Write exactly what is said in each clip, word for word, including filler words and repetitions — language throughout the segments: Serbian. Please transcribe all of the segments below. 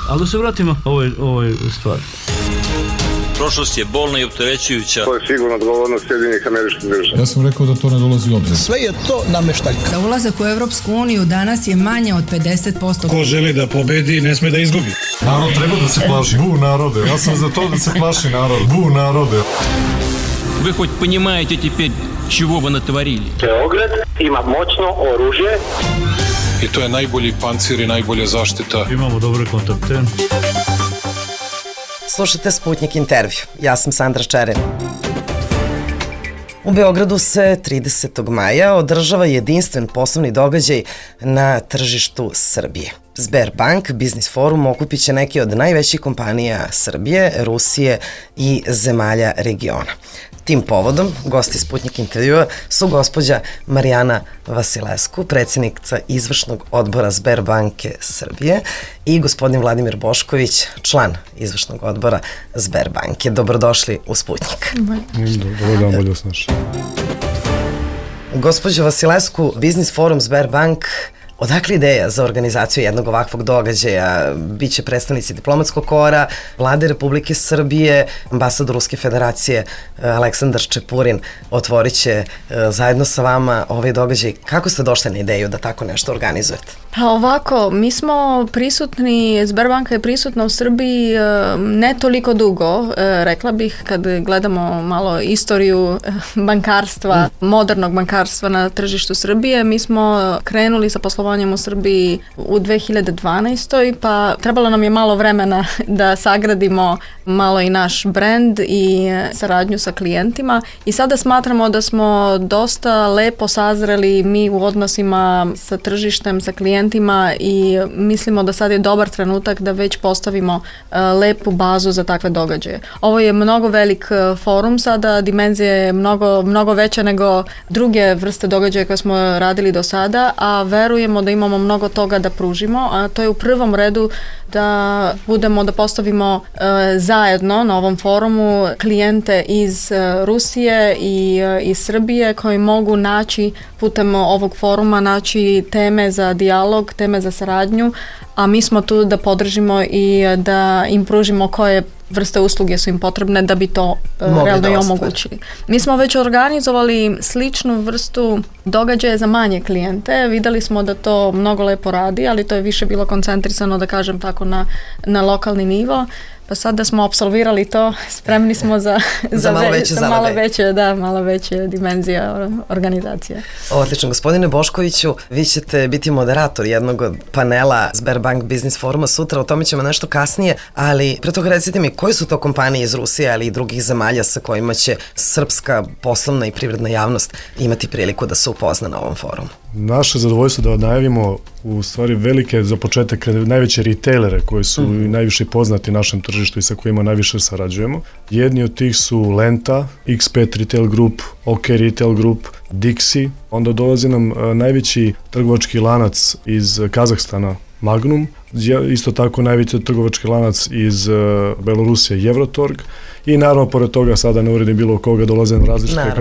Ali da se vratimo ovoj, ovoj stvari. Prošlost je bolna i opterećujuća. To je sigurno odgovornost Sjedinjenih Američkih Država. Ja sam rekao da to ne dolazi u obzir. Sve je to nameštaljka. Da ulazak u Evropsku uniju danas je manje od pedeset posto. Ko želi da pobedi, ne sme da izgubi. Narod treba da se plaši. Bu narode. Ja sam za to da se plaši narod. Bu narode. Вы хоть понимаете теперь, чего вы натворили? Beograd ima moćno oružje. I to je najbolji pancir i najbolja zaštita. Imamo dobre kontakte. Slušajte Sputnik intervju. Ja sam Sandra Čeren. U Beogradu se tridesetog maja održava jedinstven poslovni događaj na tržištu Srbije. Sberbank Biznis Forum okupit će neke od najvećih kompanija Srbije, Rusije i zemalja regiona. Tim povodom gosti Sputnik intervjua su gospođa Marijana Vasilescu, predsjednica izvršnog odbora Sberbanke Srbije, i gospodin Vladimir Bošković, član izvršnog odbora Sberbanke. Dobrodošli u Sputnik. Dobar dan, bolje snaš. Gospođo Vasilescu, Biznis Forum Sberbank, odakle ideja za organizaciju jednog ovakvog događaja? Biće predstavnici diplomatskog kora, Vlade Republike Srbije, ambasador Ruske federacije Aleksandar Čepurin otvorit će zajedno sa vama ovaj događaj. Kako ste došli na ideju da tako nešto organizujete? Pa ovako, mi smo prisutni, Sberbanka je prisutna u Srbiji ne toliko dugo, rekla bih, kad gledamo malo istoriju bankarstva, modernog bankarstva na tržištu Srbije. Mi smo krenuli sa poslovanjem u Srbiji u dve hiljade dvanaestoj. pa trebalo nam je malo vremena da sagradimo malo i naš brend i saradnju sa klijentima, i sada smatramo da smo dosta lepo sazreli mi u odnosima sa tržištem, sa klijentima, i mislimo da sad je dobar trenutak da već postavimo uh, lepu bazu za takve događaje. Ovo je mnogo velik uh, forum sada, dimenzija je mnogo, mnogo veća nego druge vrste događaja koje smo radili do sada, a verujemo da imamo mnogo toga da pružimo, a to je u prvom redu da budemo, da postavimo uh, zajedno na ovom forumu klijente iz uh, Rusije i uh, iz Srbije koji mogu naći putem ovog foruma naći teme za dijalog, teme za saradnju, a mi smo tu da podržimo i da im pružimo koje vrste usluge su im potrebne da bi to uh, realno i omogućili. Mi smo već organizovali sličnu vrstu događaja za manje klijente. Videli smo da to mnogo lepo radi, ali to je više bilo koncentrisano, da kažem tako, na, na lokalni nivo. Pa sad da smo apsolvirali to, spremni smo za, za, za malo veće za malo veće, da, malo veće dimenzija organizacije. Odlično. Gospodine Boškoviću, vi ćete biti moderator jednog od panela Sberbank Biznis Foruma sutra, o tome ćemo nešto kasnije, ali pre toga recite mi, koje su to kompanije iz Rusije, ali i drugih zemalja sa kojima će srpska poslovna i privredna javnost imati priliku da se upozna na ovom forumu? Naše zadovoljstvo da najavimo u stvari velike, za početak, najveće retailere koji su mm. najviše poznati našem tržištu i sa kojima najviše sarađujemo. Jedni od tih su Lenta, X pet Retail Group, OK Retail Group, Dixi. Onda dolazi nam najveći trgovački lanac iz Kazahstana, Magnum. Isto tako najveći trgovački lanac iz Belorusije, Evrotorg. I naravno, pored toga, sada ne uredim bilo koga, dolaze na različite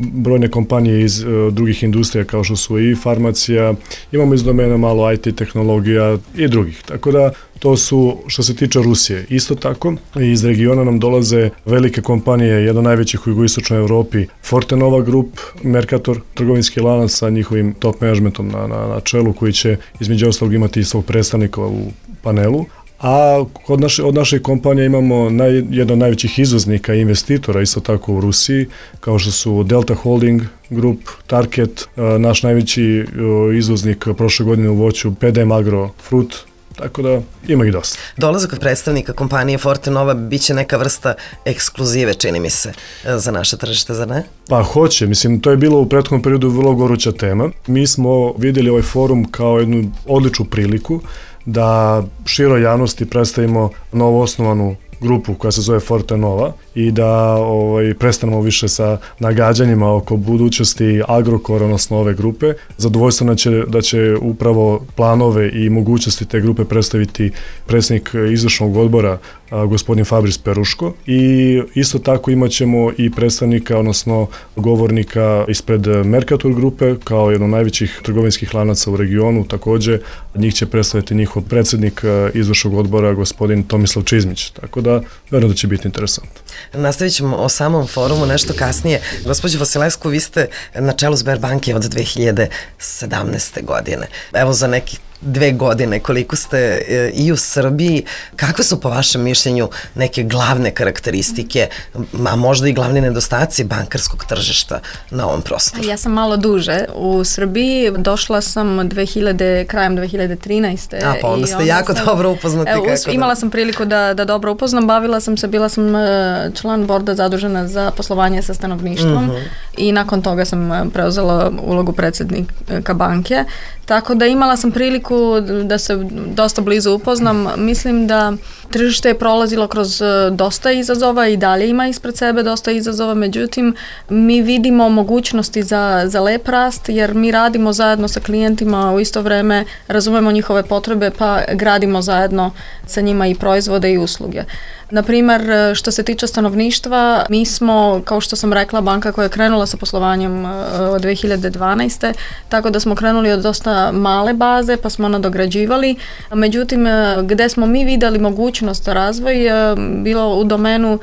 brojne kompanije iz uh, drugih industrija, kao što su i farmacija, imamo iz domena malo I T tehnologija i drugih. Tako da, to su što se tiče Rusije. Isto tako, iz regiona nam dolaze velike kompanije, jedna najvećih u jugoistočnoj Evropi, Fortenova Group, Mercator, trgovinski lanac sa njihovim top managementom na, na, na čelu, koji će između ostalog imati svog predstavnika u panelu. A od naše, od naše kompanije imamo naj, jedan od najvećih izvoznika i investitora isto tako u Rusiji, kao što su Delta Holding Group, Target, naš najveći izvoznik prošle godine u voću, P D M Agro Fruit, tako da ima ih dosta. Dolazak predstavnika kompanije Fortenova biće neka vrsta ekskluzive, čini mi se, za naše tržište, zar ne? Pa hoće, mislim, to je bilo u prethodnom periodu vrlo goruća tema. Mi smo vidjeli ovaj forum kao jednu odličnu priliku da široj javnosti predstavimo novoosnovanu grupu koja se zove Fortenova i da ovaj, prestanemo više sa nagađanjima oko budućnosti Agrokora, odnosno ove grupe. Zadovoljstvo će, da će upravo planove i mogućnosti te grupe predstaviti predsjednik izvršnog odbora a, gospodin Fabris Peruško, i isto tako imat ćemo i predstavnika, odnosno govornika ispred Mercator grupe, kao jedno od najvećih trgovinskih lanaca u regionu. Takođe, njih će predstaviti njihov predsednik izvršnog odbora, gospodin Tomislav Čizmić, tako da verujem da će biti interesantno. Nastavit ćemo o samom forumu nešto kasnije. Gospođo Vasilescu, vi ste na čelu Sberbanke od dve hiljade sedamnaeste. godine. Evo za nekih dve godine koliko ste e, i u Srbiji, kakve su po vašem mišljenju neke glavne karakteristike, a možda i glavni nedostaci bankarskog tržišta na ovom prostoru? Ja sam malo duže u Srbiji, došla sam dve hiljade, krajem dve hiljade trinaeste. A pa onda ste jako sam, dobro upoznati. Evo, kako imala da... sam priliku da, da dobro upoznam, bavila sam se, bila sam član borda zadužena za poslovanje sa stanovništvom mm-hmm. i nakon toga sam preuzela ulogu predsednika banke, tako da imala sam priliku da se dosta blizu upoznam. Mislim da tržište je prolazilo kroz dosta izazova i dalje ima ispred sebe dosta izazova, međutim mi vidimo mogućnosti za, za lep rast, jer mi radimo zajedno sa klijentima u isto vreme, razumemo njihove potrebe pa gradimo zajedno sa njima i proizvode i usluge. Naprimer, što se tiče stanovništva, mi smo, kao što sam rekla, banka koja je krenula sa poslovanjem od dve hiljade dvanaeste. Tako da smo krenuli od dosta male baze, pa smo nadograđivali. Međutim, gde smo mi videli mogućnost razvoj, bilo u domenu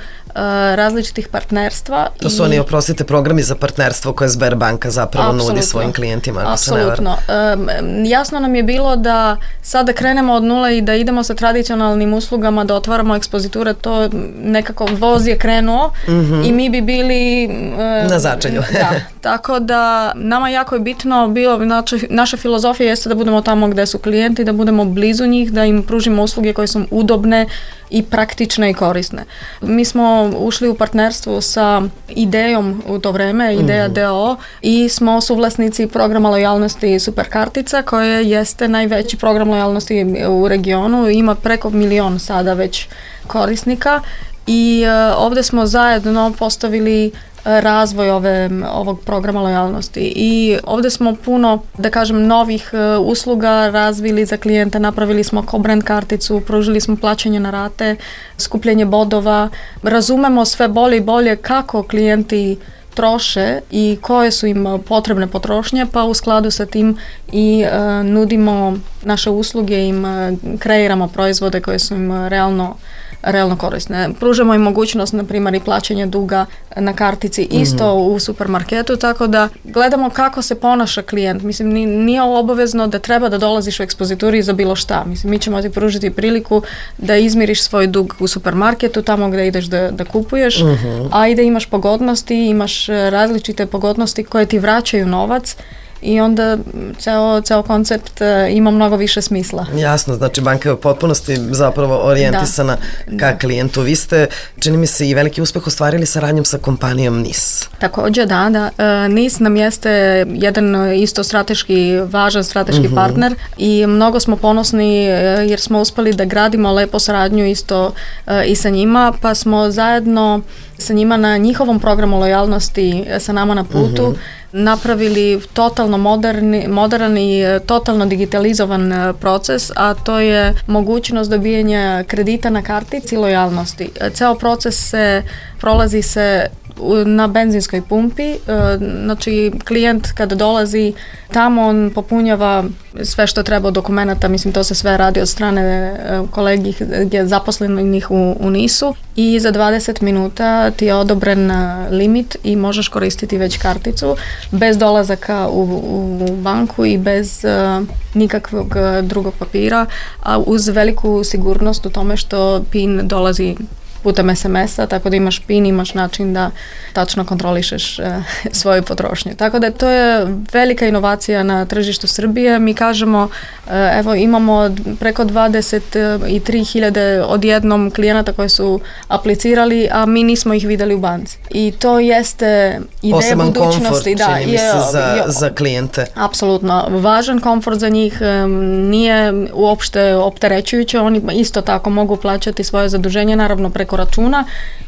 različitih partnerstva. To su i... oni, oprostite, programi za partnerstvo koje Sberbanka zapravo Absolutno. nudi svojim klijentima, ako Absolutno. se ne varam. E, jasno nam je bilo da sada krenemo od nule i da idemo sa tradicionalnim uslugama, da otvaramo ekspoziture, to nekako voz je krenuo mm-hmm. i mi bi bili... E, na začelju. Da, tako da nama jako je bitno bilo, znači, naša filozofija jeste da budemo tamo gde su klijenti, da budemo blizu njih, da im pružimo usluge koje su udobne i praktične i korisne. Mi smo ušli u partnerstvu sa Idejom u to vreme, Ideja mm-hmm. D O O, i smo suvlasnici programa lojalnosti Superkartica, koje jeste najveći program lojalnosti u regionu, ima preko milion sada već korisnika i uh, ovde smo zajedno postavili razvoj ove, ovog programa lojalnosti i ovde smo puno, da kažem, novih uh, usluga razvili za klijente, napravili smo co-brand karticu, pružili smo plaćanje na rate, skupljanje bodova, razumemo sve bolje i bolje kako klijenti troše i koje su im potrebne potrošnje, pa u skladu sa tim i uh, nudimo naše usluge, im uh, kreiramo proizvode koje su im realno realno korisne. Pružamo im mogućnost, na primjer, i plaćanja duga na kartici isto mm-hmm. u supermarketu, tako da gledamo kako se ponaša klijent. Mislim, nije obavezno da treba da dolaziš u ekspozituri za bilo šta. Mislim, mi ćemo ti pružiti priliku da izmiriš svoj dug u supermarketu, tamo gde ideš da, da kupuješ, mm-hmm. a i da imaš pogodnosti, imaš različite pogodnosti koje ti vraćaju novac, i onda ceo, ceo koncept ima mnogo više smisla. Jasno, znači banka je u potpunosti zapravo orijentisana da. ka klijentu. Vi ste, čini mi se, i veliki uspeh ostvarili saradnjom sa kompanijom N I S. Takođe, da, da. N I S nam jeste jedan isto strateški, važan strateški uh-huh. partner i mnogo smo ponosni jer smo uspeli da gradimo lepo saradnju isto i sa njima, pa smo zajedno sa njima na njihovom programu lojalnosti sa nama na putu uh-huh. napravili totalno moderni, modern i totalno digitalizovan proces, a to je mogućnost dobijanja kredita na kartici lojalnosti. Ceo proces se prolazi se na benzinskoj pumpi, znači klijent kada dolazi tamo, on popunjava sve što treba od dokumenta, mislim to se sve radi od strane kolegi zaposlenih u, u N I S-u i za dvadeset minuta ti je odobren limit i možeš koristiti već karticu bez dolazaka u, u banku i bez uh, nikakvog drugog papira, a uz veliku sigurnost u tome što PIN dolazi putem es em es-a, tako da imaš PIN, imaš način da tačno kontrolišeš e, svoju potrošnju. Tako da to je velika inovacija na tržištu Srbije. Mi kažemo, e, evo imamo preko dvadeset tri hiljade odjednom klijenata koji su aplicirali, a mi nismo ih videli u banci. I to jeste ideja Poseban budućnosti. Komfort, da, čini mi se, za, je, za klijente. Apsolutno. Važan komfort za njih, nije uopšte opterećujuće, oni isto tako mogu plaćati svoje zaduženje, naravno preko računa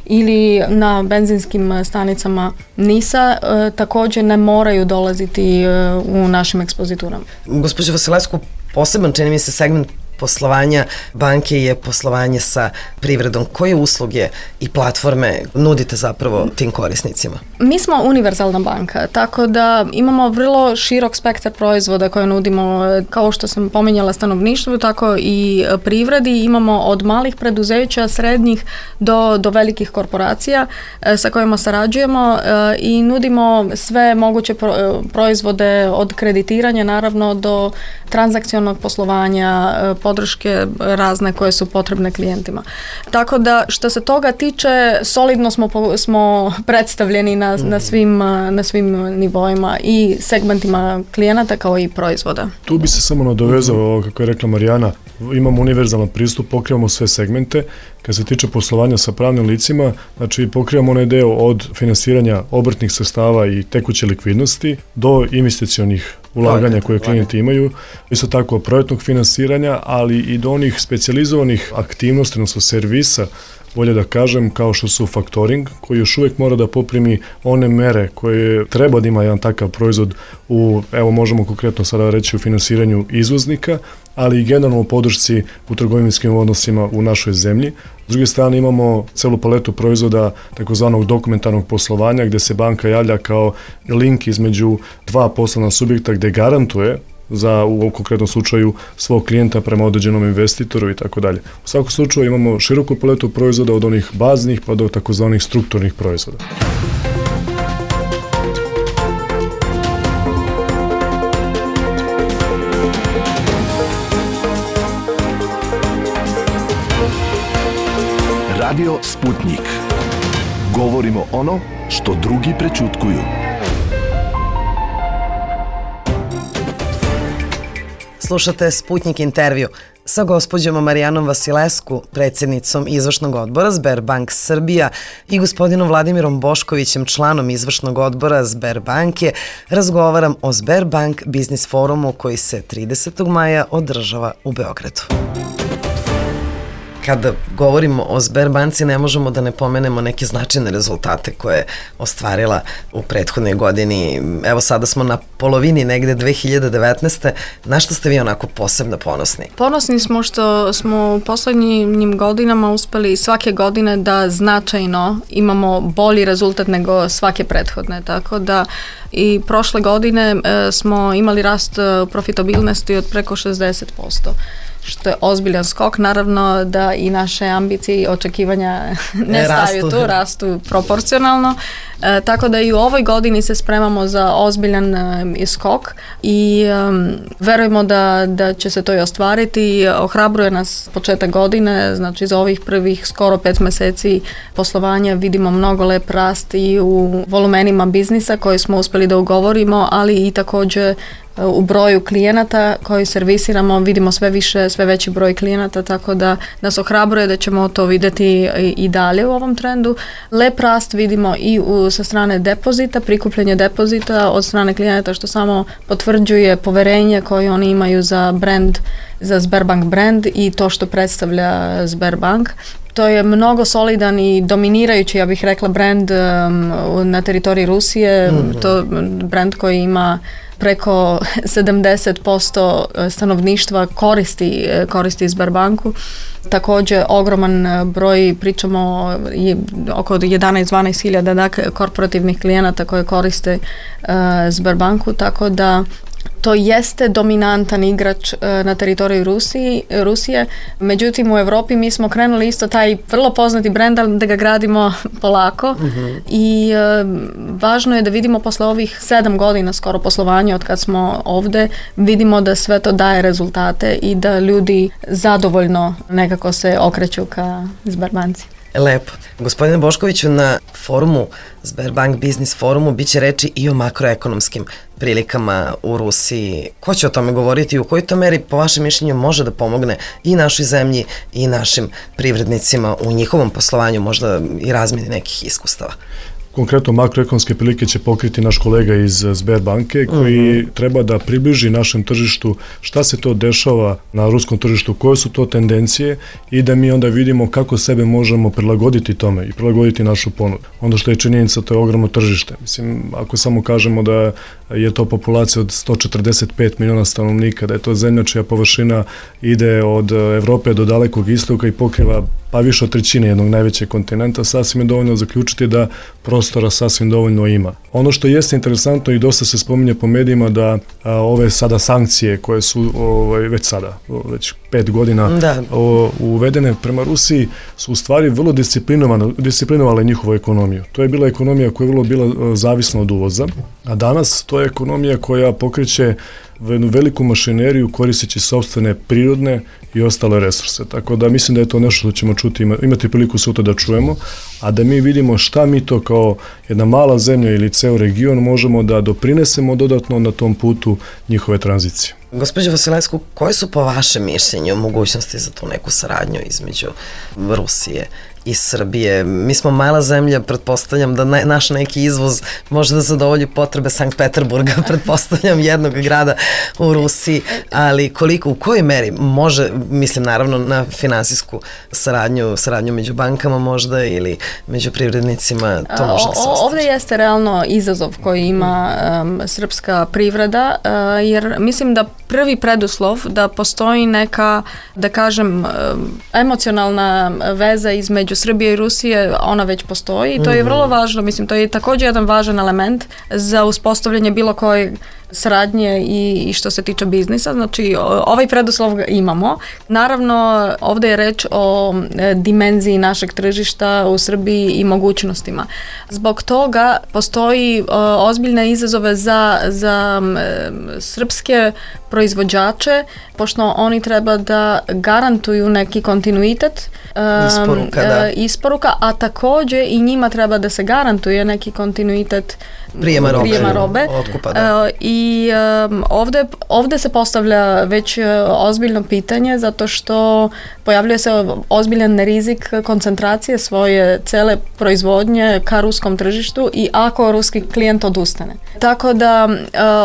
ili na benzinskim stanicama N I S-a, e, također ne moraju dolaziti e, u našim ekspoziturama. Gospođo Vasilescu, poseban čini mi se segment poslovanja banke je poslovanje sa privredom. Koje usluge i platforme nudite zapravo tim korisnicima? Mi smo univerzalna banka, tako da imamo vrlo širok spektar proizvoda koje nudimo, kao što sam pominjala stanovništvu, tako i privredi. Imamo od malih preduzeća, srednjih do, do velikih korporacija sa kojima sarađujemo i nudimo sve moguće proizvode od kreditiranja naravno do transakcionog poslovanja, podrške razne koje su potrebne klijentima. Tako da što se toga tiče, solidno smo, smo predstavljeni na, na, svim, na svim nivoima i segmentima klijenata kao i proizvoda. Tu bi se samo nadovezao, kako je rekla Marijana, imamo univerzalan pristup, pokrivamo sve segmente. Kad se tiče poslovanja sa pravnim licima, znači pokrivamo onaj deo od finansiranja obrtnih sredstava i tekuće likvidnosti do investicionih ulaganja koje klijenti imaju, isto tako projektnog finansiranja, ali i do onih specijalizovanih aktivnosti, odnosno servisa, bolje da kažem, kao što su faktoring, koji još uvijek mora da poprimi one mere koje treba da ima jedan takav proizvod u, evo možemo konkretno sada reći, u finansiranju izvoznika, ali i generalno u podršci u trgovinskim odnosima u našoj zemlji. S druge strane imamo celu paletu proizvoda takozvanog dokumentarnog poslovanja gdje se banka javlja kao link između dva poslovna subjekta gdje garantuje za u konkretnom slučaju svog klijenta prema određenom investitoru i tako dalje. U svakom slučaju imamo široku paletu proizvoda od onih baznih pa do takozvanih strukturnih proizvoda. Radio Sputnik. Govorimo ono što drugi prećutkuju. Slušate Sputnik intervju sa gospođom Marijanom Vasilescu, predsjednicom izvršnog odbora Sberbank Srbija i gospodinom Vladimirom Boškovićem, članom izvršnog odbora Sberbanke. Razgovaram o Sberbank Biznis forumu koji se tridesetog maja održava u Beogradu. Kada govorimo o Sberbanci, ne možemo da ne pomenemo neke značajne rezultate koje je ostvarila u prethodnoj godini. Evo sada smo na polovini negde dve hiljade devetnaeste. Na što ste vi onako posebno ponosni? Ponosni smo što smo u poslednjim godinama uspeli svake godine da značajno imamo bolji rezultat nego svake prethodne. Tako da i prošle godine e, smo imali rast profitabilnosti od preko šezdeset posto. Što je ozbiljan skok, naravno da i naše ambicije i očekivanja ne staju tu, rastu proporcionalno. E, tako da i u ovoj godini se spremamo za ozbiljan e, skok i e, verujemo da, da će se to i ostvariti. Ohrabruje nas početak godine, znači za ovih prvih skoro pet meseci poslovanja vidimo mnogo lep rast i u volumenima biznisa koji smo uspeli da ugovorimo, ali i također u broju klijenata koji servisiramo, vidimo sve više, sve veći broj klijenata, tako da nas ohrabruje da ćemo to vidjeti i dalje u ovom trendu. Lep rast vidimo i u, sa strane depozita, prikupljanje depozita od strane klijenata, što samo potvrđuje poverenje koje oni imaju za brand, za Sberbank brand i to što predstavlja Sberbank. To je mnogo solidan i dominirajući, ja bih rekla, brand um, na teritoriji Rusije. Mm-hmm. To brand koji ima preko sedamdeset posto stanovništva koristi, koristi Sberbanku. Također ogroman broj, pričamo oko jedanaest do dvanaest hiljada dakle, korporativnih klijenata koje koriste uh, Sberbanku, tako da to jeste dominantan igrač na teritoriju Rusiji, Rusije, međutim u Europi mi smo krenuli isto taj vrlo poznati brend, ali da ga gradimo polako uh-huh. i e, važno je da vidimo posle ovih sedam godina skoro poslovanja od kad smo ovde, vidimo da sve to daje rezultate i da ljudi zadovoljno nekako se okreću ka Sberbanci. Lepo. Gospodine Boškoviću, na forumu, Sberbank Biznis forumu, bit će reči i o makroekonomskim prilikama u Rusiji. Ko će o tome govoriti i u kojoj to meri, po vašem mišljenju, može da pomogne i našoj zemlji i našim privrednicima u njihovom poslovanju, možda i razmjeni nekih iskustava? Konkretno makroekonomske prilike će pokriti naš kolega iz Sberbanke koji uh-huh. treba da približi našem tržištu šta se to dešava na ruskom tržištu, koje su to tendencije i da mi onda vidimo kako sebe možemo prilagoditi tome i prilagoditi našu ponudu. Onda što je činjenica, to je ogromno tržište. Mislim, ako samo kažemo da je to populacija od sto četrdeset pet miliona stanovnika, da je to zemlja čija površina ide od Evrope do dalekog istoka i pokriva pa više od trećine jednog najvećeg kontinenta, sasvim je dovoljno zaključiti da prostora sasvim dovoljno ima. Ono što jeste interesantno i dosta se spominje po medijima da a, ove sada sankcije koje su ovaj, već sada, već pet godina da. o, uvedene prema Rusiji su u stvari vrlo disciplinovale njihovu ekonomiju. To je bila ekonomija koja je vrlo bila zavisna od uvoza, a danas to je ekonomija koja pokreće jednu veliku mašineriju koristeći sopstvene prirodne i ostale resurse. Tako da mislim da je to nešto što ćemo čuti, imati priliku sutra da čujemo, a da mi vidimo šta mi to kao jedna mala zemlja ili ceo region možemo da doprinesemo dodatno na tom putu njihove tranzicije. Gospođo Vasilevsku, koje su po vašem mišljenju mogućnosti za tu neku saradnju između Rusije i Srbije? Mi smo mala zemlja, pretpostavljam da ne, naš neki izvoz može da zadovolji potrebe Sankt Peterburga, pretpostavljam jednog grada u Rusiji, ali koliko, u kojoj meri može, mislim naravno na finansijsku saradnju, saradnju među bankama možda ili među privrednicima, to može da se ostvari. Ovdje jeste realno izazov koji ima um, srpska privreda, uh, jer mislim da prvi preduslov da postoji neka, da kažem, emocionalna veza između Srbije i Rusije, ona već postoji i to je vrlo važno, mislim, to je također jedan važan element za uspostavljanje bilo koje saradnje i, i što se tiče biznisa, znači ovaj preduslov imamo. Naravno, ovdje je reč o e, dimenziji našeg tržišta u Srbiji i mogućnostima. Zbog toga postoji e, ozbiljne izazove za, za e, srpske proizvođače, pošto oni treba da garantuju neki kontinuitet e, isporuka, da. e, isporuka, a također i njima treba da se garantuje neki kontinuitet prijema robe, prijema robe. Otkupa, da. E, I um, ovdje, ovdje se postavlja već uh, ozbiljno pitanje zato što pojavljuje se ozbiljan rizik koncentracije svoje cele proizvodnje ka ruskom tržištu i ako ruski klijent odustane. Tako da uh,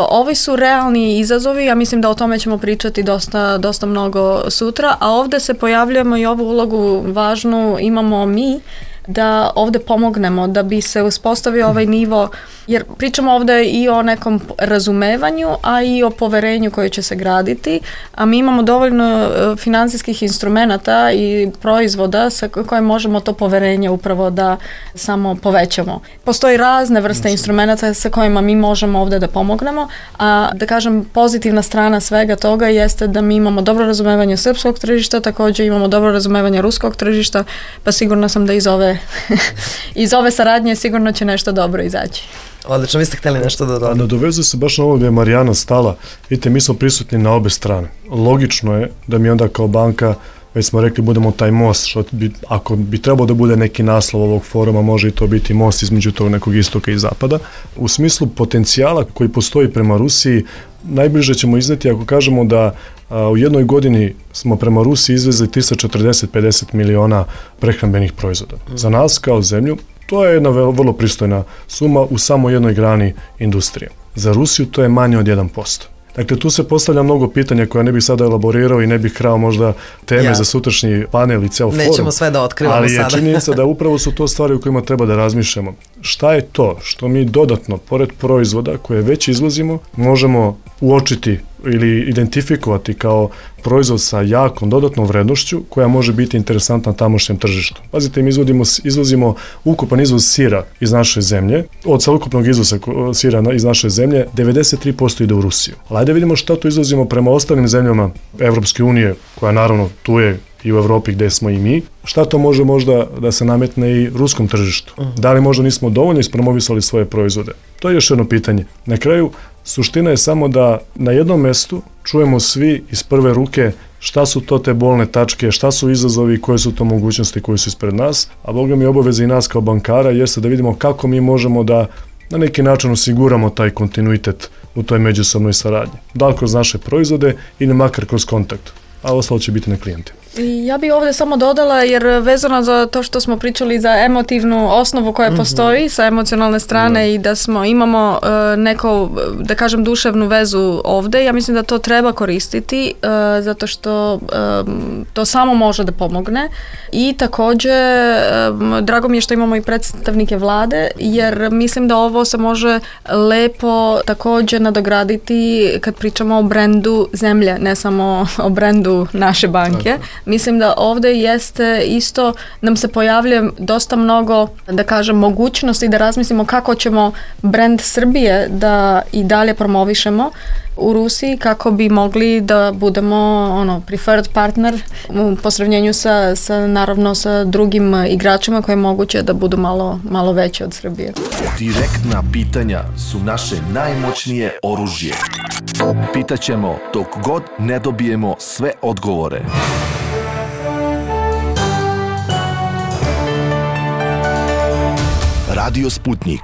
ovi su realni izazovi, ja mislim da o tome ćemo pričati dosta, dosta mnogo sutra, a ovdje se pojavljujemo i ovu ulogu važnu imamo mi da ovdje pomognemo da bi se uspostavio ovaj nivo, jer pričamo ovdje i o nekom razumevanju, a i o poverenju koje će se graditi, a mi imamo dovoljno financijskih instrumenata i proizvoda sa koje možemo to poverenje upravo da samo povećamo. Postoji razne vrste instrumenata sa kojima mi možemo ovdje da pomognemo, a da kažem pozitivna strana svega toga jeste da mi imamo dobro razumevanje srpskog tržišta, također imamo dobro razumevanje ruskog tržišta, pa sigurno sam da iz ove iz ove saradnje sigurno će nešto dobro izaći. Odlično, vi ste htjeli nešto da dodati. Nadovezuje se baš na ovo gdje je Marijana stala. Vidite, mi smo prisutni na obe strane. Logično je da mi onda kao banka, već smo rekli, budemo taj most, što bi, ako bi trebao da bude neki naslov ovog foruma, može i to biti most između tog nekog istoka i zapada. U smislu potencijala koji postoji prema Rusiji, najbliže ćemo izneti ako kažemo da a, u jednoj godini smo prema Rusiji izvezli tristo četrdeset do pedeset miliona prehrambenih proizvoda. Mm. Za nas kao zemlju to je jedna vrlo pristojna suma u samo jednoj grani industrije. Za Rusiju to je manje od jedan posto. Dakle, tu se postavlja mnogo pitanja koja ne bih sada elaborirao i ne bih krao možda teme ja. za sutrašnji panel i ceo forum. Nećemo sve da otkrivamo ali sada. Ali je činjenica da upravo su to stvari u kojima treba da razmišljamo. Šta je to što mi dodatno, pored proizvoda koje već izvozimo, možemo uočiti ili identifikovati kao proizvod sa jakom dodatnom vrednošću koja može biti interesantna tamošnjem tržištu. Pazite, mi izvodimo, izvozimo ukupan izvoz sira iz naše zemlje, od celokupnog izvoza sira iz naše zemlje, devedeset tri posto ide u Rusiju. Ali ajde vidimo šta tu izvozimo prema ostalim zemljama Evropske unije, koja naravno tu je i u Evropi gdje smo i mi. Šta to može možda da se nametne i ruskom tržištu? Da li možda nismo dovoljno ispromovisali svoje proizvode? To je još jedno pitanje. Na kraju, suština je samo da na jednom mestu čujemo svi iz prve ruke šta su to te bolne tačke, šta su izazovi, koje su to mogućnosti koje su ispred nas, a Boga mi obaveze i nas kao bankara jeste da vidimo kako mi možemo da na neki način osiguramo taj kontinuitet u toj međusobnoj saradnji. Da li kroz naše proizvode ili makar kroz kontakt, a ostalo će biti na klijente. I ja bih ovdje samo dodala, jer vezano za to što smo pričali za emotivnu osnovu koja postoji mm-hmm. sa emocionalne strane mm-hmm. i da smo imamo uh, neko, da kažem, duševnu vezu ovdje, ja mislim da to treba koristiti uh, zato što um, to samo može da pomogne. I također um, drago mi je što imamo i predstavnike vlade, jer mislim da ovo se može lepo također nadograditi kad pričamo o brendu zemlje, ne samo o brendu naše banke. Tako. Mislim da ovdje jeste isto, nam se pojavlja dosta mnogo, da kažem, mogućnosti da razmislimo kako ćemo brend Srbije da i dalje promovišemo u Rusiji, kako bi mogli da budemo ono preferred partner u posravnjenju sa, sa naravno sa drugim igračima koje je moguće da budu malo, malo veće od Srbije. Direktna pitanja su naše najmoćnije oružje. Pitaćemo dok god ne dobijemo sve odgovore. Radio Sputnik.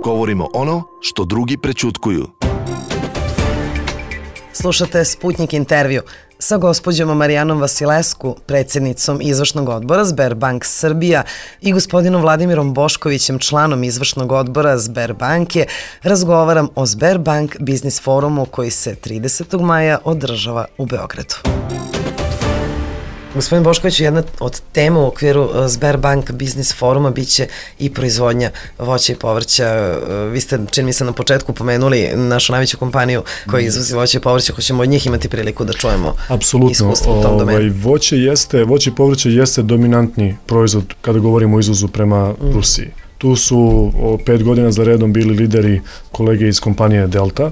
Govorimo ono što drugi prećutkuju. Slušate Sputnik intervju sa gospođom Marijanom Vasilescu, predsjednicom izvršnog odbora Sberbank Srbija i gospodinom Vladimirom Boškovićem, članom izvršnog odbora Sberbanke. Razgovaram o Sberbank Biznis forumu koji se tridesetog maja održava u Beogradu. Gospodin Bošković, jedna od tema u okviru Sberbank Biznis foruma biće i proizvodnja voća i povrća. Vi ste, čini mi se, na početku pomenuli našu najveću kompaniju koja izvozi voće i povrća. Hoćemo od njih imati priliku da čujemo iskustvo u tom domenu. Apsolutno. Voće jeste, voće i povrće jeste dominantni proizvod kada govorimo o izvozu prema mm. Rusiji. Tu su o, pet godina za redom bili lideri kolege iz kompanije Delta.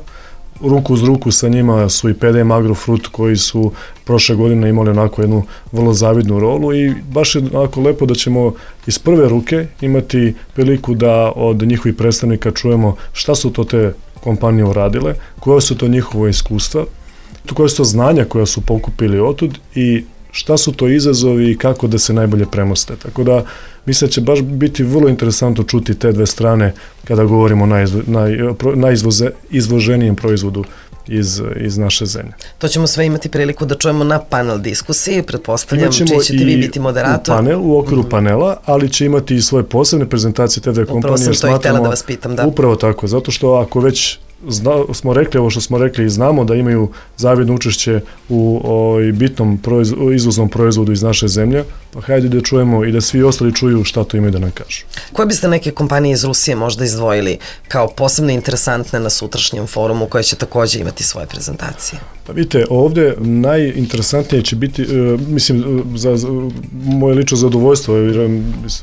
Ruku uz ruku sa njima su i P D M Agrofrut koji su prošle godine imali onako jednu vrlo zavidnu rolu i baš je onako lepo da ćemo iz prve ruke imati priliku da od njihovih predstavnika čujemo šta su to te kompanije uradile, koje su to njihove iskustva, koje su to znanja koja su pokupili otud i šta su to izazovi i kako da se najbolje premoste. Tako da mislim da će baš biti vrlo interesantno čuti te dve strane kada govorimo o najizvo, naj, najizvoze, izvoženijem proizvodu iz, iz naše zemlje. To ćemo sve imati priliku da čujemo na panel diskusiji, pretpostavljam čiji ćete vi biti moderator. U panel, u okviru mm-hmm. panela, ali će imati i svoje posebne prezentacije te dve kompanije. Upravo sam to i htjela da vas pitam, da. Upravo tako, zato što ako već Zna, smo rekli ovo što smo rekli i znamo da imaju zavidno učešće u o, bitnom proiz, izvoznom proizvodu iz naše zemlje, pa hajde da čujemo i da svi ostali čuju šta to imaju da nam kažu. Koje biste neke kompanije iz Rusije možda izdvojili kao posebno interesantne na sutrašnjem forumu koje će također imati svoje prezentacije? Pa vidite, ovdje najinteresantnije će biti, e, mislim, za, za moje lično zadovoljstvo, jer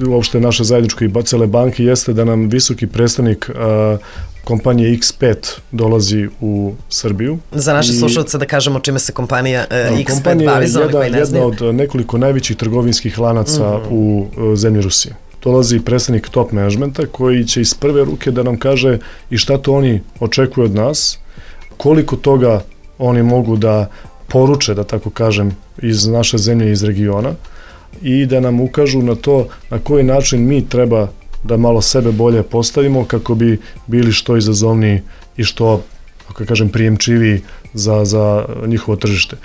uopšte naše zajedničko i cele banke jeste da nam visoki predstavnik a, kompanije X pet dolazi u Srbiju. Za naše slušalce da kažemo čime se kompanija uh, X pet bavi, za one koji ne znaju. Jedna od nekoliko najvećih trgovinskih lanaca mm-hmm. u uh, zemlji Rusije. Dolazi predstavnik top managementa koji će iz prve ruke da nam kaže i šta to oni očekuju od nas, koliko toga oni mogu da poruče, da tako kažem, iz naše zemlje i iz regiona i da nam ukažu na to na koji način mi treba da malo sebe bolje postavimo kako bi bili što izazovniji i što, kako kažem, prijemčiviji za, za njihovo tržište.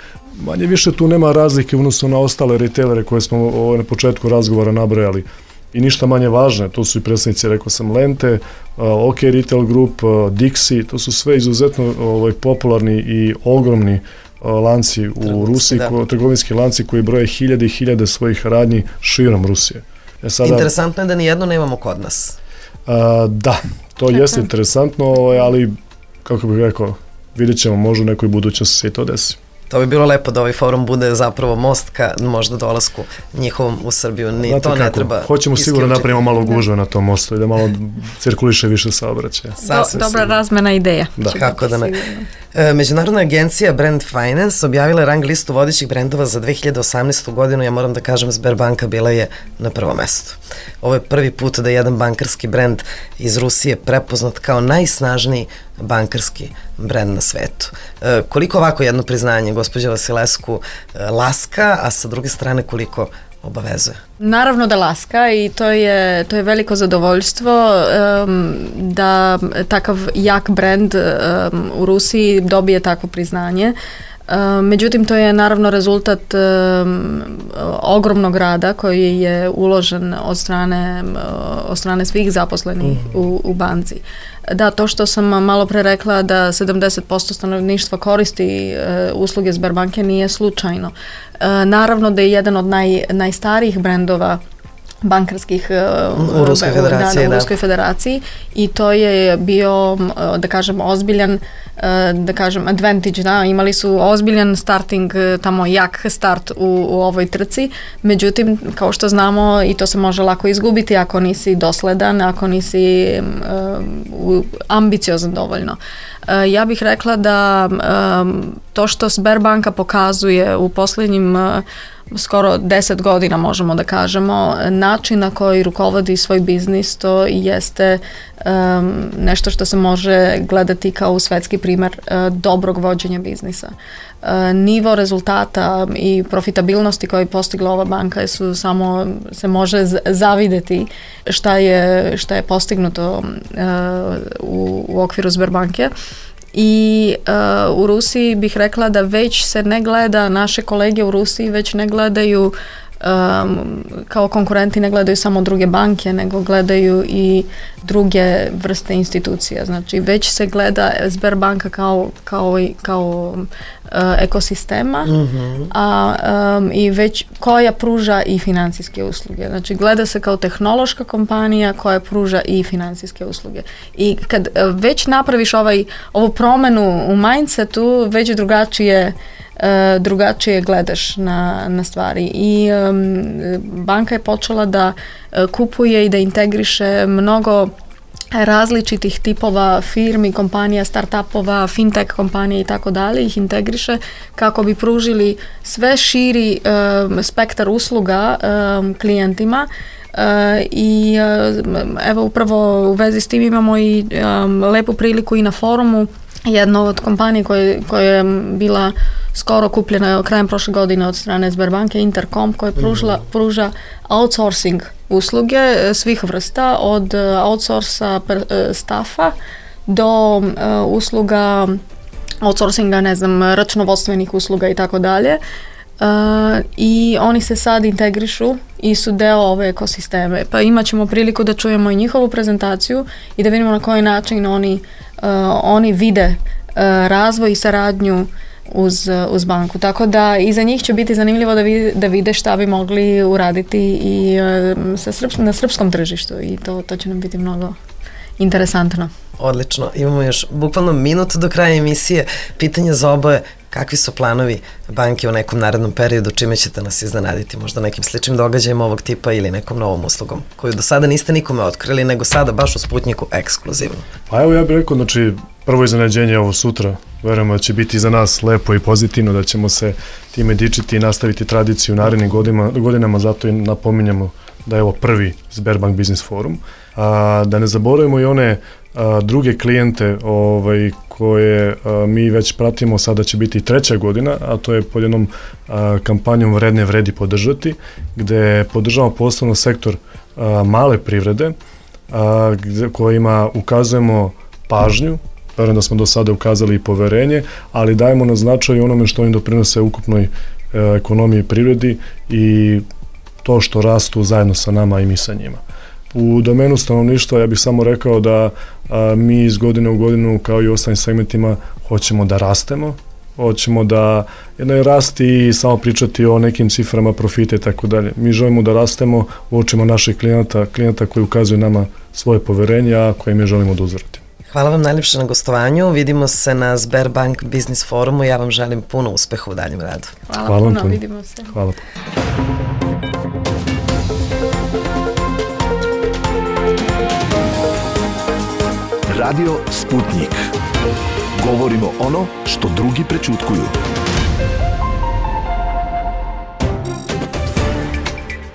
Manje više tu nema razlike u odnosu na ostale retailere koje smo na početku razgovora nabrojali i ništa manje važne. To su i predstavnici, rekao sam, Lente, OK Retail Group, Dixi, to su sve izuzetno ovaj, popularni i ogromni lanci u Trgovinski, Rusiji, ko, trgovinski lanci koji broje hiljade i hiljade svojih radnji širom Rusije. E sada, interesantno je da nijedno nemamo kod nas. A, da, to Tako. jeste interesantno, ali kako bih rekao, vidjet ćemo, možda u nekoj budućnosti se i to desi. To bi bilo lepo da ovaj forum bude zapravo most ka možda dolasku njihovom u Srbiju. Ni Znate to kako, ne treba hoćemo sigurno napravimo malo gužve na tom mostu i da malo cirkuliše više saobraćaja. Do, dobra sigurno. Razmena ideja. Da. Kako da ne. E, Međunarodna agencija Brand Finance objavila rang listu vodećih brendova za dve hiljade osamnaestu godinu. Ja moram da kažem, Sberbanka bila je na prvom mestu. Ovo je prvi put da je jedan bankarski brend iz Rusije prepoznat kao najsnažniji bankarski brend na svetu. E, koliko ovako jedno priznanje, gospođa Vasilescu, e, laska, a sa druge strane koliko obavezuje? Naravno da laska i to je, to je veliko zadovoljstvo um, da takav jak brend um, u Rusiji dobije takvo priznanje. Međutim, to je naravno rezultat ogromnog rada koji je uložen od strane, od strane svih zaposlenih u, u banci. Da, to što sam malo pre rekla da sedamdeset posto stanovništva koristi usluge Sberbanke nije slučajno. Naravno da je jedan od naj, najstarijih brendova bankarskih u Ruskoj federaciji, da, da, u Ruskoj federaciji i to je bio, da kažem, ozbiljan, da kažem, advantage, da, imali su ozbiljan starting, tamo jak start u, u ovoj trci, međutim, kao što znamo, i to se može lako izgubiti ako nisi dosledan, ako nisi um, ambiciozan dovoljno. Uh, ja bih rekla da um, to što Sberbanka pokazuje u posljednjim uh, skoro deset godina, možemo da kažemo, način na koji rukovodi svoj biznis, to jeste um, nešto što se može gledati kao svetski primer uh, dobrog vođenja biznisa. Uh, nivo rezultata i profitabilnosti koje je postigla ova banka su samo, se može zavideti šta je, šta je postignuto uh, u, u okviru Sberbanke. I uh, u Rusiji bih rekla da već se ne gleda, naše kolege u Rusiji već ne gledaju um, kao konkurenti, ne gledaju samo druge banke, nego gledaju i druge vrste institucija. Znači već se gleda Sberbanka kao, kao, kao uh, ekosistema, mm-hmm. a um, i već koja pruža i financijske usluge. Znači gleda se kao tehnološka kompanija koja pruža i financijske usluge. I kad uh, već napraviš ovaj, ovu promenu u mindsetu, već drugačije Uh, drugačije gledaš na, na stvari i um, banka je počela da uh, kupuje i da integriše mnogo različitih tipova firmi, kompanija, startupova, fintech kompanije i tako dalje, ih integriše kako bi pružili sve širi um, spektar usluga um, klijentima. Uh, i uh, evo upravo u vezi s tim imamo i um, lepu priliku i na forumu. Jedna od kompanija koja, koja je bila skoro kupljena krajem prošle godine od strane Sberbanke, Intercom, koja pružla, pruža outsourcing usluge svih vrsta, od outsourca staffa do uh, usluga outsourcinga, ne znam, računovodstvenih usluga i tako dalje. Uh, i oni se sad integrišu i su deo ove ekosisteme. Pa imat ćemo priliku da čujemo i njihovu prezentaciju i da vidimo na koji način oni, uh, oni vide uh, razvoj i saradnju uz, uz banku. Tako da i za njih će biti zanimljivo da vide, da vide šta bi mogli uraditi i uh, sa srps, na srpskom tržištu i to, to će nam biti mnogo interesantno. Odlično. Imamo još bukvalno minut do kraja emisije. Pitanje za oboje. Kakvi su planovi banke u nekom narednom periodu, čime ćete nas iznenaditi? Možda nekim sličnim događajima ovog tipa ili nekom novom uslugom koju do sada niste nikome otkrili, nego sada baš u Sputniku ekskluzivno. Pa evo ja bih rekao, znači prvo iznenađenje je ovo sutra. Verujemo da će biti za nas lepo i pozitivno, da ćemo se time dičiti i nastaviti tradiciju u narednim godinama, godinama, zato i napominjamo da je ovo prvi Sberbank Business Forum. A, da ne zaboravimo i one a, druge klijente ovaj, koje a, mi već pratimo, sada će biti treća godina, a to je pod jednom a, kampanjom Vredne vredi podržati, gde podržavamo poslovno sektor a, male privrede, a, gde, kojima ukazujemo pažnju. Verujem da smo do sada ukazali i poverenje, ali dajemo na značaj onome što im doprinose ukupnoj e, ekonomiji i privredi i to što rastu zajedno sa nama i mi sa njima. U domenu stanovništva ja bih samo rekao da a, mi iz godine u godinu, kao i u ostalim segmentima, hoćemo da rastemo, hoćemo da ne rasti i samo pričati o nekim ciframa, profite i tako dalje. Mi želimo da rastemo u očima naših klijenata, klijenata koji ukazuju nama svoje poverenje, a koje mi želimo da uzvrati. Hvala vam najljepše na gostovanju. Vidimo se na Sberbank Business Forumu. Ja vam želim puno uspeha u daljem radu. Hvala, Hvala puno, puno, vidimo se. Hvala. Radio Sputnik. Govorimo ono što drugi prećutkuju.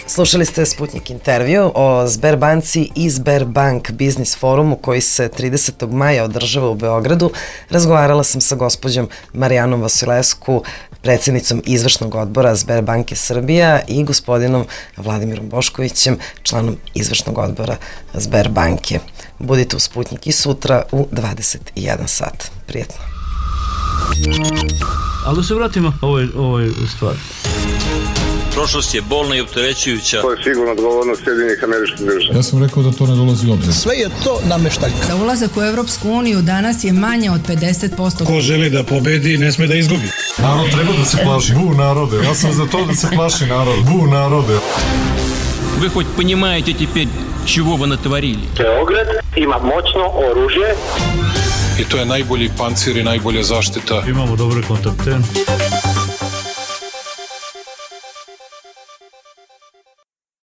Slušali ste Sputnik intervju o Sberbanci i Sberbank Business Forumu koji se tridesetog maja održava u Beogradu. Razgovarala sam sa gospođom Marijanom Vasilescu, predsjednicom izvršnog odbora Sberbanke Srbija i gospodinom Vladimirom Boškovićem, članom izvršnog odbora Sberbanke. Budite u Sputnik i sutra u dvadeset jedan sat. Prijetno. Ali da se vratimo ovoj, ovoj stvari. Prošlost je bolna i opterećujuća. To je sigurno odgovornost Sjedinjenih Američkih Država. Ja sam rekao da to ne dolazi u obzir. Sve je to nameštaljka. Za ulazak u Evropsku uniju danas je manje od pedeset posto. Ko želi da pobedi, ne sme da izgubi. Narod treba da se plaši. Bu narode. Ja sam za to da se plaši narod. Bu narode. Вы хоть понимаете теперь, чего вы натворили? Beograd ima moćno oružje. I to je najbolji pancir i najbolja zaštita. Imamo dobre kontakte.